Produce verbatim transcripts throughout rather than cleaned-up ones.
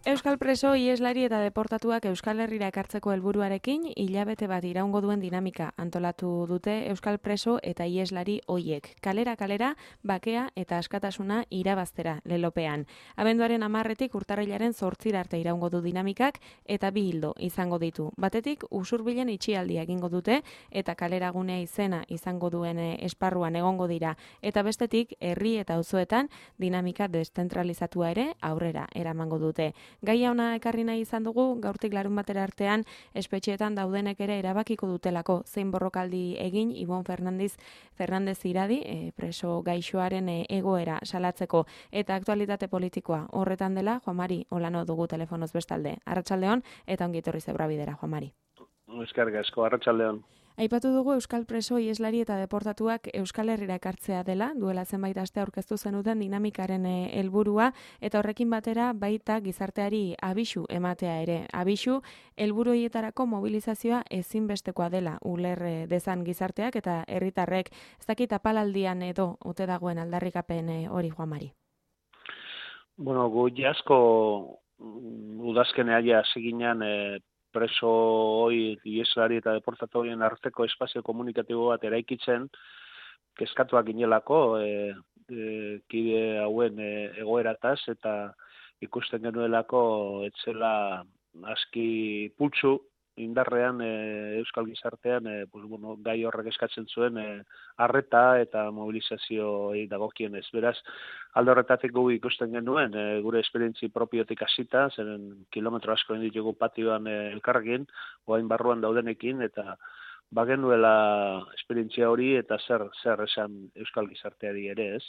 Euskal preso, ieslari eta deportatuak Euskal Herrira ekartzeko helburuarekin hilabete bat iraungo duen dinamika antolatu dute Euskal preso eta ieslari hoiek. Kalera kalera, bakea eta askatasuna irabaztera lelopean. Abenduaren hamarretik urtarrilaren zortzira arte iraungo du dinamikak eta bi hildo izango ditu. Batetik, usurbilen itxialdia egingo dute eta kaleragunea izena izango duen esparruan egongo dira. Eta bestetik, herri eta auzoetan dinamika deszentralizatua ere aurrera eramango dute. Gaia ona ekarri nahi izan dugu, gaurtik larun batera artean, espetxeetan daudenek ere erabakiko dutelako zein borrokaldi egin Ibon Fernandez, Fernandez Iradi, e, preso gaixoaren e, egoera salatzeko eta aktualitate politikoa horretan dela, Juan Mari Olano dugu telefonoz bestalde. Arratsaldeon eta ongi etorri Zebra Bidera, Juan Mari. Eskerrik asko, arratsaldeon. Aipatu dugu Euskal preso, ieslari eta deportatuak Euskal Herrira ekartzea dela, duela zenbait aste aurkeztu zenuten dinamikaren helburua eta horrekin batera baita gizarteari abisu ematea ere. Abisu helburu horietarako mobilizazioa ezinbestekoa dela uler dezan gizarteak eta herritarrek. Ez dakit apalaldian edo ote dagoen aldarrikapen hori, Juan Mari. Bueno, gu jasko udazkenea ja seginan e, preso hoi, ieslari eta deportatu horien arteko espazio komunikatibo bat eraikitzen, kezkatuak ginelako, e, e, kide hauen e, egoerataz, eta ikusten genuelako etzela aski pultsu, indarrean e, Euskal Gizartean e, pues, bueno, gai horrek eskatzen zuen e, arreta eta mobilizazioei dagokienez. Beraz, alde horretatik gu ikusten genuen, e, gure esperientzi propiotik hasita, zeren kilometro asko ditugu patioan e, elkarrekin, oain barruan daudenekin, eta bagenuela esperientzia hori eta zer zer esan Euskal Gizarteari ere, ez?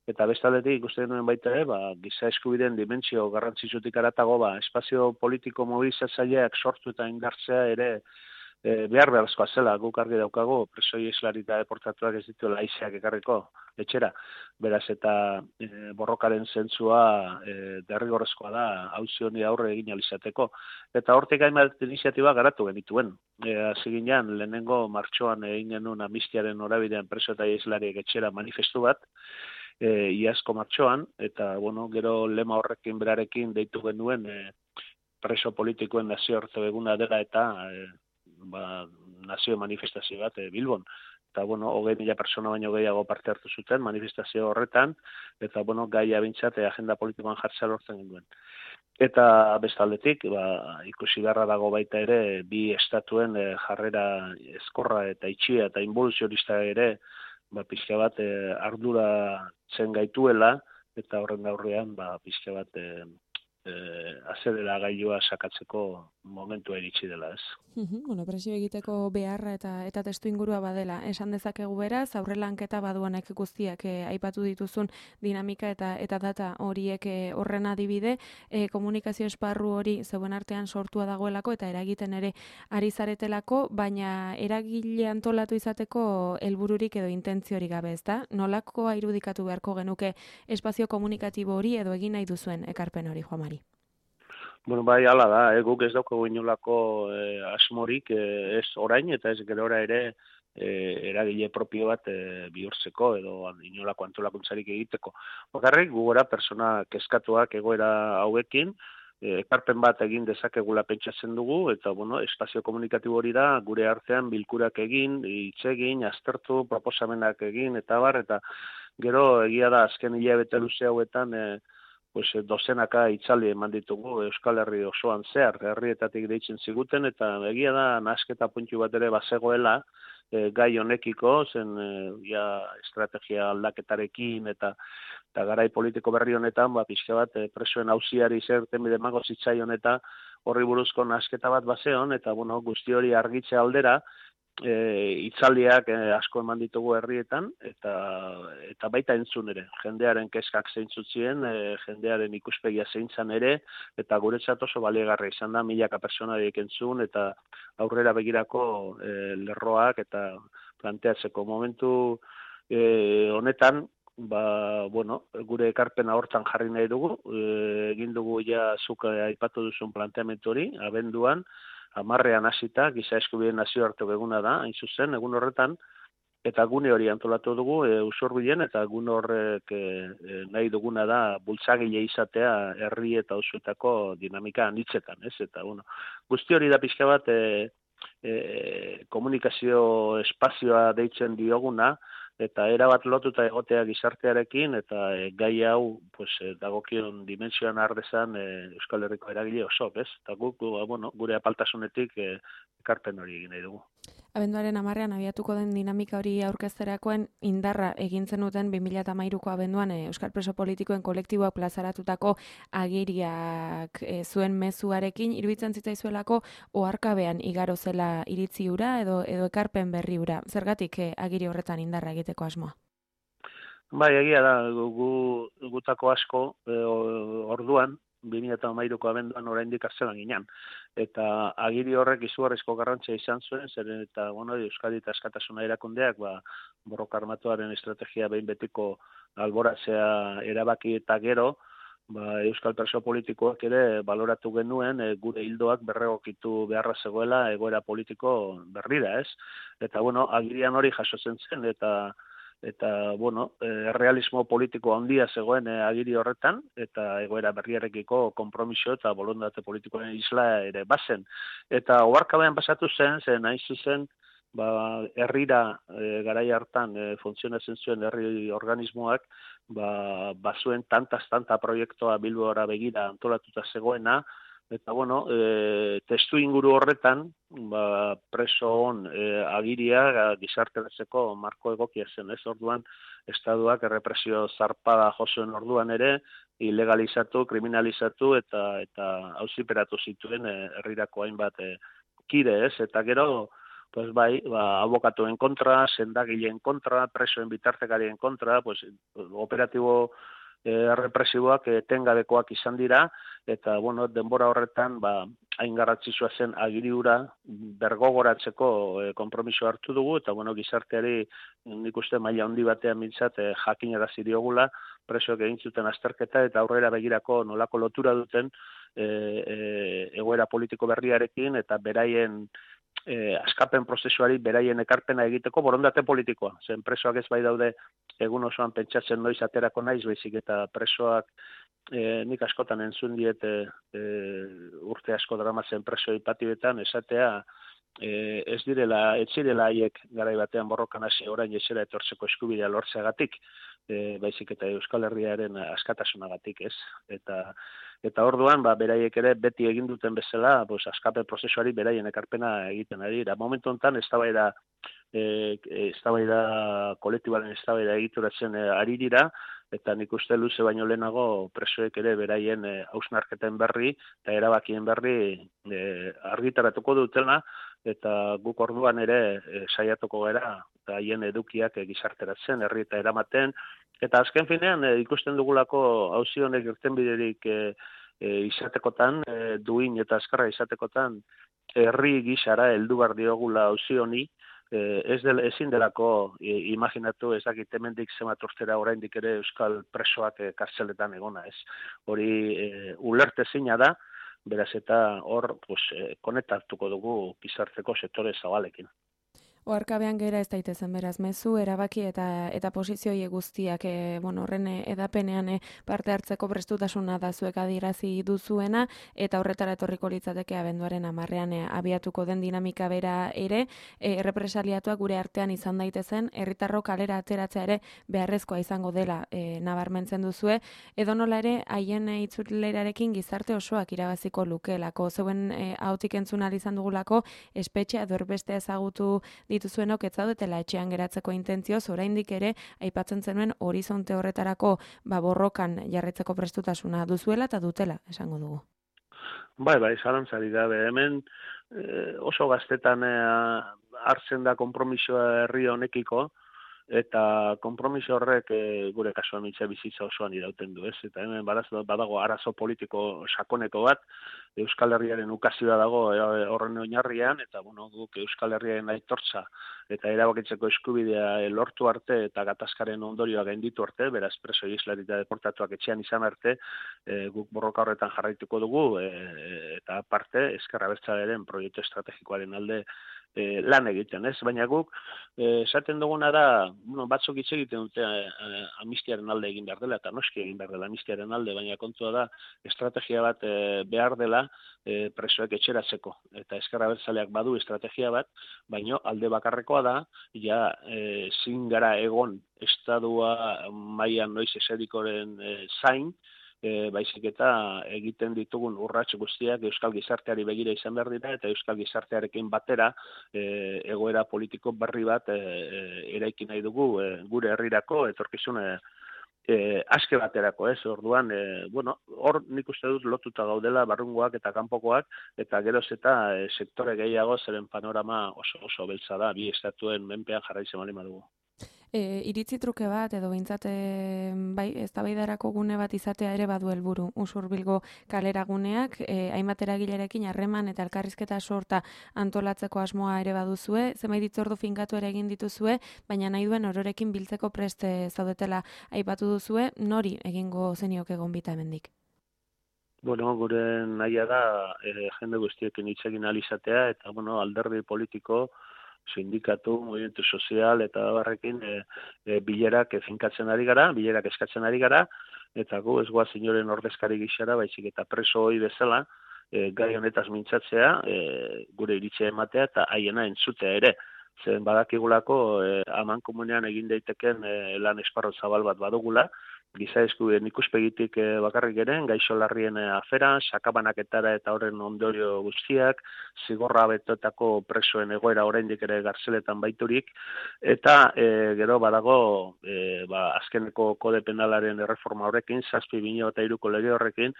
Eta bestaldetik ikusten genuen baita ere, ba, giza eskubideen dimentsio garrantzitsutik haratago, ba, espazio politiko mobilizatzaileak sortu eta indartzea ere e, behar beharrezkoa zela, guk argi daukago, preso ieslari eta deportatuak ez dituela haizeak ekarriko etxera. Beraz, eta e, borrokaren zentzua e, derrigorrezkoa da auzi honi aurre egin ahal izateko. Eta hortik hainbat iniziatiba garatu genituen. E, hasi ginean, lehenengo martxoan egin genuen amnistiaren norabidean preso eta ieslariek etxera manifestu bat, E, iazko martxoan, eta bueno, gero lema horrekin berarekin deitu genuen e, preso politikoen nazioarte eguna dela eta e, ba, nazio manifestazio bat e, Bilbon. Eta bueno, hogei mila persona baino gehiago parte hartu zuten manifestazio horretan, eta bueno, gaia bintzat e, agenda politikoan jartzea lortzen genuen. Eta bestaldetik, ba, ikusi beharra dago baita ere, bi estatuen e, jarrera ezkorra eta itxia eta involuzionista ere, ba, pixka bat e, ardura zen gaituela, eta horren aurrean ba, pixka bat e, e, azedera gailua sakatzeko momentua iritsi dela, ez. Uhum, bueno, presio egiteko beharra eta eta testu ingurua badela. Esan dezakegu beraz, aurrelanketa baduanek guztiak e, aipatu dituzun dinamika eta eta data horiek e, horren adibide, e, komunikazio esparru hori zeuen artean sortua dagoelako eta eragiten ere ari zaretelako, baina eragile antolatu izateko helbururik edo intentziorik gabe, ezta? Nolakoa irudikatu beharko genuke espazio komunikatibo hori edo egin nahi duzuen ekarpen hori, Juan Mari? Bueno, bai, hala da, eh, guk ez daukagu inolako eh, asmorik eh, ez orain eta ez gerora ere eh, eragile propio bat eh, bihurtzeko edo inolako antolakuntzarik egiteko. Bakarrik, gugora persona kezkatuak egoera hauekin, eh, ekarpen bat egin dezakegula pentsatzen dugu, eta bueno, espazio komunikatibo hori da, gure artean bilkurak egin, hitz egin, aztertu, proposamenak egin, eta bar, eta gero egia da azken hilabete luze hauetan, eh, pues, dozenaka itzali eman ditugu Euskal Herri osoan zehar, herrietatik deitzen ziguten, eta egia da nahasketa puntu bat ere bazegoela e, gai honekiko, zen e, ja, estrategia aldaketarekin eta eta garai politiko berri honetan, ba, pixka bat, e, presoen auziari zerten bidemango zitzaion eta horri buruzko nahasketa bat bazeon, eta bueno, guzti hori argitze aldera, E, itzaldiak e, asko eman ditugu herrietan, eta eta baita entzun ere, jendearen kezkak zeintzutzien, e, jendearen ikuspegia zeintzan ere, eta guretzat oso baliagarria izan da, milaka personarik entzun, eta aurrera begirako e, lerroak eta planteatzeko momentu e, honetan, ba, bueno, gure ekarpena hortan jarri nahi dugu, e, egin dugu ja zuk aipatu duzun planteamendu hori, abenduan, hamarrean hasita, giza eskubideen nazioarteko eguna da, hain zuzen, egun horretan, eta gune hori antolatu dugu e, Usurbilen, eta gune horrek e, e, nahi duguna da bultzagile izatea herri eta auzoetako dinamika anitzetan, ez? Eta bueno, guzti hori da pixka bat e, e, komunikazio espazioa deitzen dioguna, eta erabat lotuta egotea gizartearekin, eta e, gai hau pues, e, dagokion dimensioan ardezan e, Euskal Herriko eragile oso, ez? Eta guk, bueno, gure apaltasunetik e, ekarpen hori egin nahi dugu. Abenduaren hamarrean abiatuko den dinamika hori aurkezterakoen indarra egin zenuten bi mila hamairuko abenduan e, Euskal Preso Politikoen kolektiboak plazaratutako agiriak e, zuen mezuarekin, iruditzen zitzaizuelako oharkabean igaro zela iritzi hura edo edo ekarpen berri hura. Zergatik e, agiri horretan indarra egiteko asmoa? Bai, egia da, gu, gutako asko e, orduan, bi mila hamairuko abenduan oraindik kartzelan ginen. Eta agiri horrek izugarrizko garrantzia izan zuen, zeren eta bueno, Euskadi eta Askatasuna erakundeak ba, borroka armatuaren estrategia behin betiko alboratzea erabaki eta gero, ba, Euskal Preso Politikoak ere baloratu genuen e, gure hildoak berregokitu beharra zegoela egoera politiko berrira, ez? Eta bueno, agirian hori jasotzen zen, eta eta bueno, e, realismo politiko handia zegoen e, agiri horretan, eta egoera berriarekiko konpromiso eta bolondate politikoen isla ere bazen. Eta oharkabean pasatu zen, zen hain zuzen, ba, herrira e, garai hartan e, funtzionatzen zuen herri organismoak, ba, bazuen tantaz-tanta proiektua Bilbora begira antolatuta zegoena, eta bueno, e, testu inguru horretan, ba, preso on e, agiria gizarteratzeko marko egokia zen, ez? Orduan, estaduak errepresio zarpada josoen orduan ere, ilegalizatu, kriminalizatu eta eta auziperatu zituen e, herrirako hainbat e, kide, ez? Eta gero, pues bai, ba, abokatuen kontra, sendagileen kontra, presoen bitartekarien kontra, pues, operatibo E, represiboak etengabekoak izan dira, eta bueno, denbora horretan ba, hain garrantzitsua zen agiri hura bergogoratzeko e, konpromiso hartu dugu, eta bueno, gizarteari nik uste maila handi batean mintzat e, jakinarazi diogula presoek egin zuten azterketa eta aurrera begirako nolako lotura duten e, e, egoera politiko berriarekin eta beraien E, askapen prozesuari beraien ekarpena egiteko borondate politikoa. Zen presoak ez bai daude egun osoan pentsatzen noiz aterako naiz, baizik eta presoak e, nik askotan entzun diet e, e, urte asko dramatzen preso ipatioetan esatea e, ez direla, ez direla haiek garai batean borrokan hasi orain esera etortzeko eskubidea lortzeagatik, e, baizik eta Euskal Herriaren askatasunagatik, ez? Eta Eta orduan, ba, beraiek ere beti egin duten bezala, pues, askape prozesuari beraien ekarpena egiten ari. Da, momentu honetan, eztabaida e, eztabaida kolektibaren eztabaida egituratzen e, ari dira, eta nik uste luze baino lehenago presoek ere beraien e, hausnarketen berri eta erabakien berri e, argitaratuko dutela, eta guk orduan ere e, saiatuko gara, eta haien edukiak e, gizarteratzen, herri eta eramaten, eta azken finean e, ikusten dugulako auzi honek irtenbiderik e, e, izatekotan, e, duin eta azkarra izatekotan, herri gisara heldu behar diogula auzi honi, e, ez del, ezin delako e, imaginatu ez dakit hemendik zenbat urtera oraindik ere euskal presoak e, kartzeletan egona, ez. Hori e, ulertezina da, beraz eta hor pues, e, konektatuko dugu gizarteko sektore zabalekin. Oharkabean gera ez daitezen beraz mezu, erabaki eta eta posizioi guztiak e, bueno, horren edapenean e, parte hartzeko prestutasuna da zuek adierazi duzuena, eta horretara etorriko litzateke abenduaren hamarrean e, abiatuko den dinamika bera ere, e, errepresaliatuak gure artean izan daitezen, herritarrok kalera ateratzea ere beharrezkoa izango dela e, nabarmentzen duzue, edonola ere haien e, itzulerarekin gizarte osoak irabaziko lukeelako, zeuen e, hautik entzun ahal izan dugulako espetxea edorbeste ezagutu dituzuenok ez zaudetela etxean geratzeko intentzioz, oraindik ere aipatzen zenuen horizonte horretarako ba, borrokan jarritzeko prestutasuna duzuela eta dutela, esango dugu. Bai, bai, zalantzari gabe. Hemen eh, oso gaztetan eh, hartzen da konpromisoa herri honekiko, eta konpromiso horrek e, gure kasuan mitza bizitza osoan irauten du, ez? Eta hemen badago, badago arazo politiko sakoneko bat, Euskal Herriaren ukazioa dago e, horren oinarrian, eta bueno, guk Euskal Herriaren aitortza eta erabakitzeko eskubidea e, lortu arte eta gatazkaren ondorioa gainditu arte, beraz preso islari eta deportatuak etxean izan arte, e, guk borroka horretan jarraituko dugu, e, eta aparte, Ezker Abertzalearen proiektu estrategikoaren alde e, lan egiten, ez? Baina guk e, esaten duguna da, bueno, batzuk hitz egiten dute e, amnistiaren alde egin behar dela, eta noski egin behar dela amnistiaren alde, baina kontua da estrategia bat e, behar dela e, presoek etxeratzeko. Eta Ezker Abertzaleak badu estrategia bat, baina alde bakarrekoa da, ja e, zin gara egon estadua mailan noiz eserikoren e, zain, E, baizik eta egiten ditugun urrats guztiak euskal gizarteari begira izan behar dira, eta euskal gizartearekin batera e, egoera politiko berri bat e, e, eraiki nahi dugu e, gure herrirako etorkizune e, aske baterako, ez? Orduan, e, bueno, hor nik uste dut lotuta gaudela barrungoak eta kanpokoak, eta geroz eta e, sektore gehiago zeren panorama oso oso beltza da, bi estatuen menpean jarraitzen bali madugu. E, iritzi truke bat, edo behintzat e, bai, eztabaidarako gune bat izatea ere badu helburu. Usurbilgo kalera guneak, e, hainbat eragilerekin harreman eta elkarrizketa sorta antolatzeko asmoa ere baduzue, zenbait hitzordu finkatu ere egin dituzue, baina nahi duen ororekin biltzeko preste zaudetela aipatu duzue, nori egingo zenioke gonbita hemendik? Bueno, gure nahia da e, jende guztiekin hitz egin ahal izatea, eta bueno, alderdi politiko, sindikatu, movimentu sozial eta barrekin e, e, bilerak finkatzen ari gara, bilerak eskatzen ari gara, eta gu ez goaz inoren ordezkari gixara, baizik eta preso hori bezala, e, gai honetaz mintzatzea, e, gure iritzea ematea eta haiena entzutea ere. Zen badakigulako e, aman komunean egin daiteken e, lan esparro zabal bat badugula, giza eskubideen ikuspegitik e, bakarrik eren, gaixo larrien afera, sakabanaketara eta horren ondorio guztiak, zigorra betoetako presoen egoera oraindik ere gartzeletan baiturik, eta e, gero badago e, ba, azkeneko kode penalaren erreforma horrekin, zazpi bi mila hiruko lege horrekin,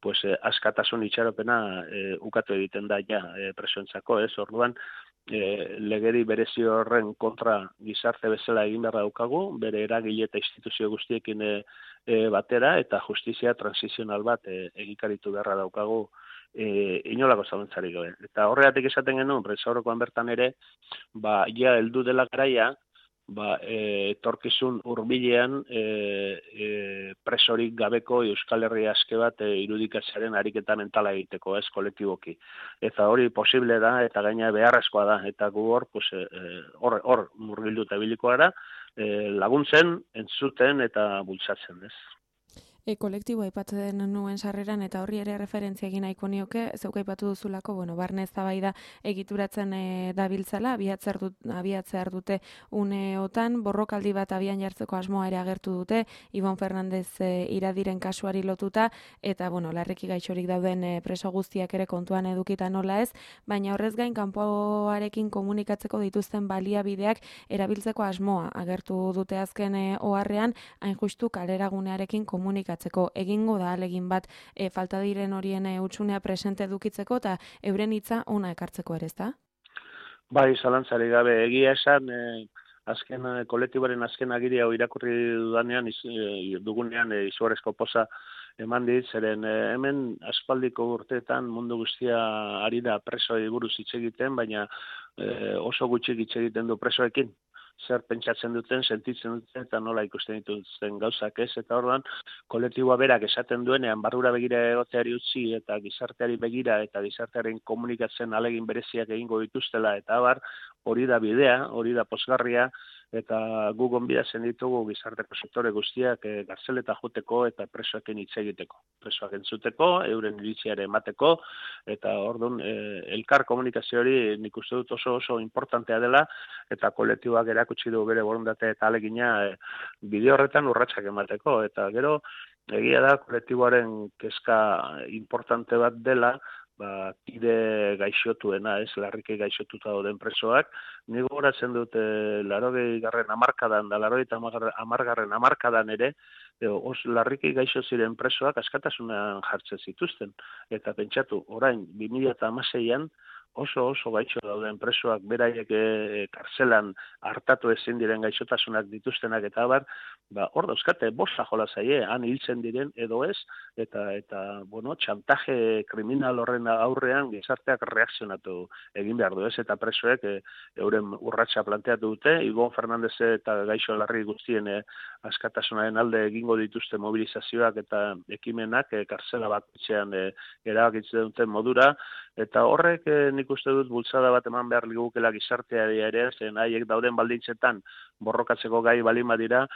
pues, eh, askatasun itxaropena eh, ukatu egiten da ja eh, presoentzako, ez? Orduan, eh, legeri berezi horren kontra gizarte bezala egin behar daukagu, bere eragile eta instituzio guztiekin eh, eh, batera, eta justizia transizional bat eh, egikaritu beharra daukagu eh, inolako zalantzarik gabe. Eta horregatik esaten genuen, presaurrekoan bertan ere, ba, ja heldu dela garaia, ba, e, etorkizun hurbilean e, e, presorik gabeko Euskal Herria aske bat e, irudikatzearen ariketa mentala egiteko, ez, kolektiboki. Eta hori posible da, eta gaina beharrezkoa da, eta gu hor, pues, e, hor, hor murgildu eta biliko gara, e, laguntzen, entzuten eta bultzatzen, ez. E, kolektibo aipatzen nuen sarreran eta horri ere referentzia egin nahiko nioke, zeuk aipatu duzulako, bueno, barne eztabaida egituratzen e, dabiltzala, abiatzer dut, abiatzer dute uneotan, borrokaldi bat abian jartzeko asmoa ere agertu dute, Ibon Fernandez e, iradiren kasuari lotuta, eta, bueno, larriki gaixorik dauden e, preso guztiak ere kontuan edukita nola ez, baina horrez gain kanpoarekin komunikatzeko dituzten baliabideak erabiltzeko asmoa agertu dute azken e, oharrean, hain justu kaleragunearekin komunikatzeko egingo da alegin bat e, falta diren horien e, utxunea presente edukitzeko eta euren hitza ona ekartzeko ere, ezta? Bai, zalantzari gabe egia esan, e, azken e, kolektiboaren azken agiria irakurri dudanean, iz, e, dugunean e, izugarrizko poza eman dit, zeren e, hemen aspaldiko urteetan mundu guztia ari da presoei buruz hitz egiten, baina e, oso gutxi hitz egiten du presoekin. Zer pentsatzen duten, sentitzen duten, eta nola ikusten dituzten gauzak ez, eta orduan, kolektiboa berak esaten duenean, barrura begira egoteari utzi, eta gizarteari begira, eta gizartearen komunikatzen alegin bereziak egingo dituztela, eta abar, hori da bidea, hori da posgarria, eta gu gonbidatzen ditugu gizarteko sektore guztiak e, garzeleta joteko eta presoekin hitz egiteko. Presoak entzuteko, euren iritziare emateko, eta orduan e, elkar komunikazio hori nik uste dut oso oso importantea dela, eta kolektiboak erakutsi du bere borondate eta alegina e, bide horretan urratsak emateko. Eta gero, egia da kolektiboaren kezka importante bat dela, ba, kide gaixotuena, ez, larriki gaixotuta dauden presoak, ni gogoratzen dut e, larogei garren hamarkadan, da larogei eta hamargarren hamarkadan ere, e, os larriki gaixo ziren presoak askatasunean jartzen zituzten. Eta pentsatu, orain, bi mila hamaseian, oso oso gaixo dauden presoak beraiek e, karzelan hartatu ezin diren gaixotasunak dituztenak eta abar, ba, hor dauzkate, bosta jola zaie, han hiltzen diren edo ez, eta, eta bueno, txantaje kriminal horren aurrean gizarteak reakzionatu egin behar du ez, eta presoek e, euren urratsa planteatu dute, Ibon Fernandez eta gaixo larri guztien e, askatasunaren alde egingo dituzte mobilizazioak eta ekimenak e, karzela bat etxean e, erabakitzen duten modura, eta horrek e, nik nik uste dut bultzada bat eman behar ligukela gizarteari ere, zen haiek dauden baldintzetan borrokatzeko gai balin badira,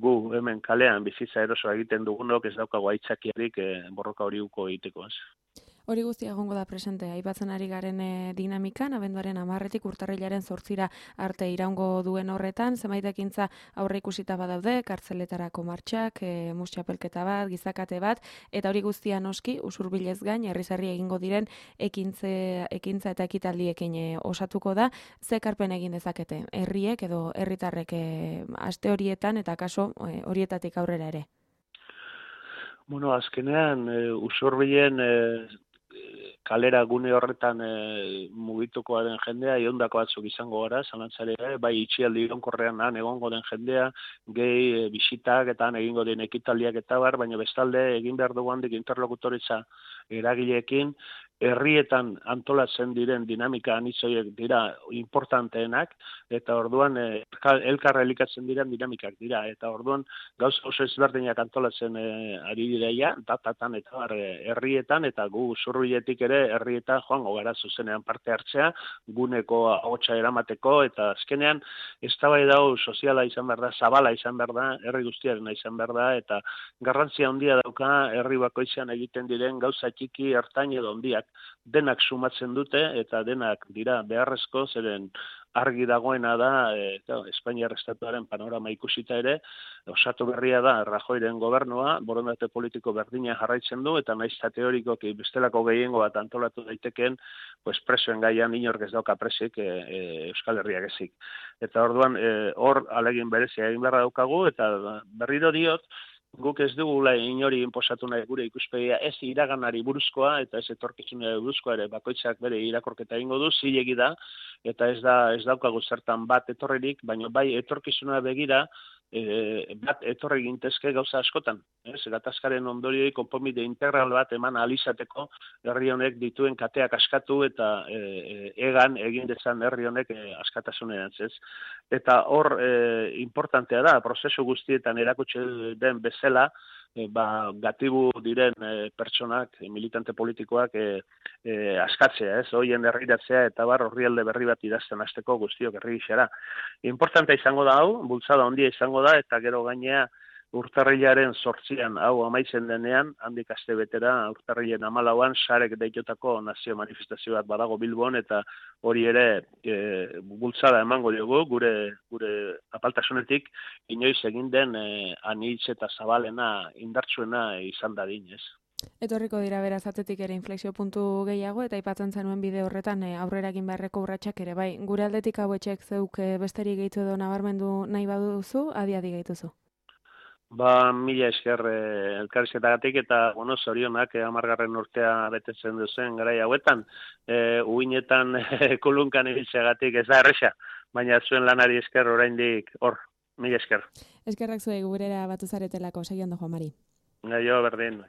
gu hemen kalean bizitza erosoa egiten dugunok ez daukagu aitzakiarik e, borroka hori uko egiteko. Ez. Hori guztia egongo da presente, aipatzen ari garen e, dinamikan, abenduaren hamarretik urtarrilaren zortzira arte iraungo duen horretan, zenbait ekintza aurre ikusita badaude, kartzeletarako martxak, e, mustxapelketa bat, gizakate bat, eta hori guztia noski, usurbilez gain, herri-herri egingo diren ekintze, ekintza eta ekitaldiekin e, osatuko da, ze ekarpen egin dezakete, herriek edo herritarrek e, aste horietan eta kaso e, horietatik aurrera ere. Bueno, azkenean, e, usurbilen e, kalera gune horretan e, mugituko den jendea, iondako batzuk izango gara, zalantzare, bai itxialdi ironkorrean han egongo den jendea, gehi e, bisitak eta han egingo den ekitaldiak eta bar, baina bestalde egin behar dugu handik interlokutoritza eragileekin, herrietan antolatzen diren dinamika anitzoiek dira importanteenak, eta orduan e, elkarra elikatzen diren dinamikak dira, eta orduan gauza oso ezberdinak antolatzen e, ari direia, datatan eta bar, e, herrietan, eta gu zurbiletik ere herrietan joango gara zuzenean parte hartzea, guneko ahotsa eramateko, eta azkenean eztabaida hau soziala izan behar da, zabala izan behar da, herri guztiarena izan behar da, eta garrantzia handia dauka herri bakoitzean egiten diren gauza txiki, ertain edo handiak, denak sumatzen dute eta denak dira beharrezko, zeren argi dagoena da, e, Espainiar estatuaren panorama ikusita ere, osatu berria da Rajoyren gobernua, borondate politiko berdina jarraitzen du, eta naiz eta teorikoki bestelako gehiengo bat antolatu daitekeen, pues presoen gaian inork ez dauka presik e, e, Euskal Herriak ezik. Eta orduan, hor e, alegin berezia egin beharra daukagu, eta berriro diot, guk ez dugula inori inposatu nahi gure ikuspegia, ez iraganari buruzkoa eta ez etorkizunari buruzkoa ere bakoitzak bere irakorketa egingo du, zilegi da, eta ez da ez daukagu zertan bat etorririk, baina bai etorkizuna begira e, bat etorri gintezke gauza askotan. Ez, gatazkaren ondorioi konponbide integral bat eman alizateko herri honek dituen kateak askatu eta e, e, egan egin dezan herri honek e, askatasunerantz, ez. Eta hor e, importantea da, prozesu guztietan erakutsi den bezala, E, ba, gatibu diren e, pertsonak, e, militante politikoak e, e, askatzea, ez, hoien herriratzea eta bar horrialde berri bat idazten hasteko guztiok herri gixera. Importantea izango da hau, bultzada handia izango da, eta gero gainea urtarrilaren zortzian hau amaitzen denean, handik aste betera, urtarrilen hamalauan, sarek deitotako nazio manifestazio bat badago Bilbon, eta hori ere e, bultzada emango diogu, gure gure apaltasunetik, inoiz egin den e, anitz eta zabalena indartsuena izan dadin, ez. Etorriko dira beraz atzetik ere inflexio puntu gehiago, eta aipatzen zenuen bide horretan e, aurrera egin beharreko urratsak ere, bai, gure aldetik hauetxek zeuk e, besterik gehitu edo nabarmendu nahi baduzu, adi-adi gehituzu. Ba, mila esker eh, elkarrizketagatik eta, bueno, zorionak eh, amargarren urtea betetzen duzen garai hauetan. Eh, uinetan eh, kulunkan ibiltzeagatik ez da erresa, baina zuen lanari esker oraindik hor, mila esker. Eskerrak zuei gurera batu zaretelako, segi ondo, Juan Mari. Gaio, berdin.